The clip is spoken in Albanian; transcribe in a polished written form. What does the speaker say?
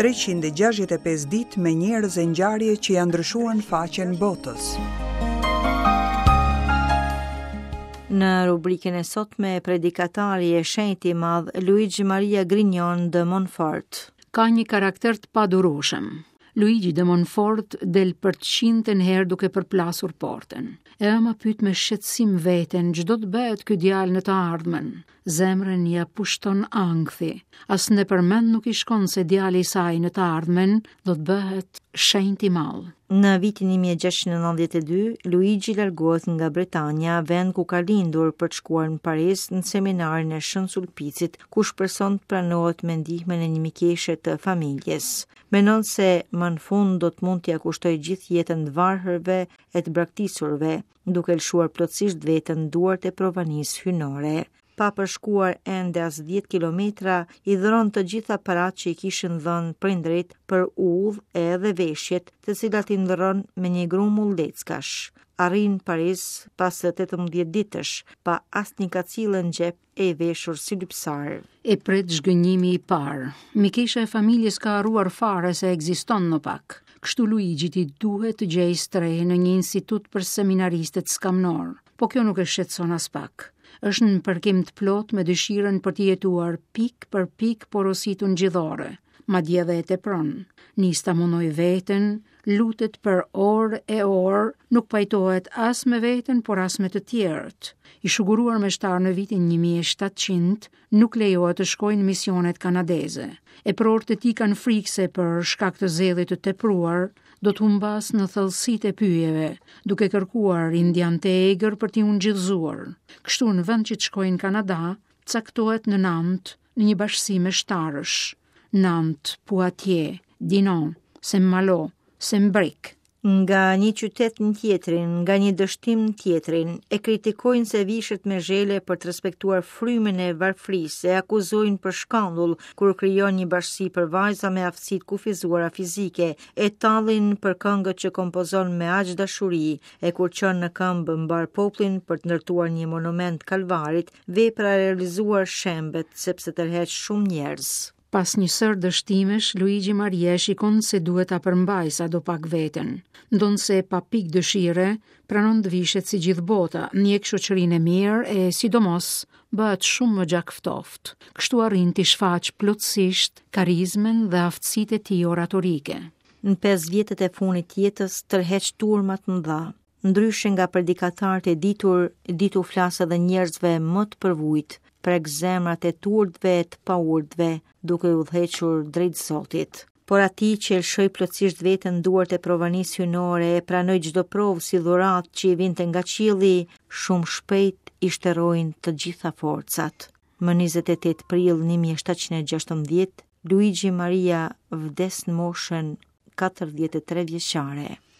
365 ditë me njerëz e ngjarje që ia ndryshuan faqen botës. Në rubrikën e sotme, predikatari e shenjti i madh Luigi Maria Grignion de Montfort. Ka një karakter të padurueshëm. Luigi de Montfort del për të qindtën herë duke përplasur portën. E ëma pyet me shqetësim veten ç'do të bëhet ky djalë në të ardhmen. Zemrën ia pushton ankthi. As nëpër mend nuk i shkon se djali i saj në të ardhmen do të bëhet shenjt i madh. Në vitin 1692, Luigi largohet nga Bretanja, vend ku ka lindur për të shkuar në Paris në seminarin e Shën Sulpicit, ku shpreson të pranohet me ndihmën e një mikeshe të familjes. Mendon se më në fund do të mund t'ia kushtojë gjithë jetën të varfërve e të braktisurve, duke lëshuar plotësisht veten në duart e provanisë hyjnore. Pa përshkuar ende as 10 kilometra, i dhuron të gjitha paratë që i kishin dhënë prindërit për udhë edhe veshjet, të cilat i ndërron me një grumull leckash. Arrin në Paris pas 18 ditësh, pa asnjë kacille në xhep e i veshur si lypsar. E pret zhgënjimi i parë. Mikesha e familjes ka harruar fare se ekziston më pak. Kështu Luigjit i duhet të gjejë strehë në një institut për seminaristët skamnorë. Po kjo nuk e shqetëson aspak. Është në përkim të plotë me dëshirën për të jetuar pikë për pikë porositë ungjillore. Madje edhe e tepron. Nis ta mundojë veten, lutet për orë e orë, nuk pajtohet as me veten, por as me të tjerët. I shuguruar meshtar në vitin 1700, nuk lejohet të shkojë në misionet kanadeze. Eprorët e tij kanë frikë se për shkak të zellit të tepruar, do të humbasë në thellësitë e pyjeve, duke kërkuar indianë të egër për t'i ungjillëzuar. Kështu në vend që të shkojë në Kanada, caktohet në Nant, në një bashkësi meshtarësh. Nant, Poitiers, Dinan, Saint-Malo, Saint-Bric. Nga një qytet në tjetrin, nga një dështim në tjetrin, e kritikojnë se vishet me zhele për të respektuar frymën e varfërisë, e akuzojnë për shkandull kur krijon një bashkësi për vajza me aftësi të kufizuara fizike, e tallin për këngët që kompozon me aq dashuri, e kur çon në këmbë mbarë popullin për të ndërtuar një monument kalvarit, Vepra e realizuar shembet sepse tërheq shumë njerëz. Pas një sërë dështimesh, Luigi Maria e shikon se duhet ta përmbajë sadopak veten. Ndonëse pa pikë dëshire, pranon të vishet si gjithë bota, ndjek shoqërinë e mirë e, sidomos, bëhet shumë më gjakftohtë. Kështu arrin t'i shfaqë plotësisht karizmën dhe aftësitë e tij oratorike. Në 5 vjetët e fundit të jetës tërheq turma të mëdha. Ndryshe nga predikatarët e ditur, di t'u flasë edhe njerëzve më të përvujtë, prek zemrat e të urtëve e të paurtëve, duke i udhëhequr drejt Zotit. Por atij që e lëshoi plotësisht veten në duart e provanisë hyjnore e pranoi çdo provë si dhuratë që i vinte nga qielli, shumë shpejt i shterojnë të gjitha forcat. Më 28 prill 1716, Luigi Maria vdes në moshën 43 vjeçare.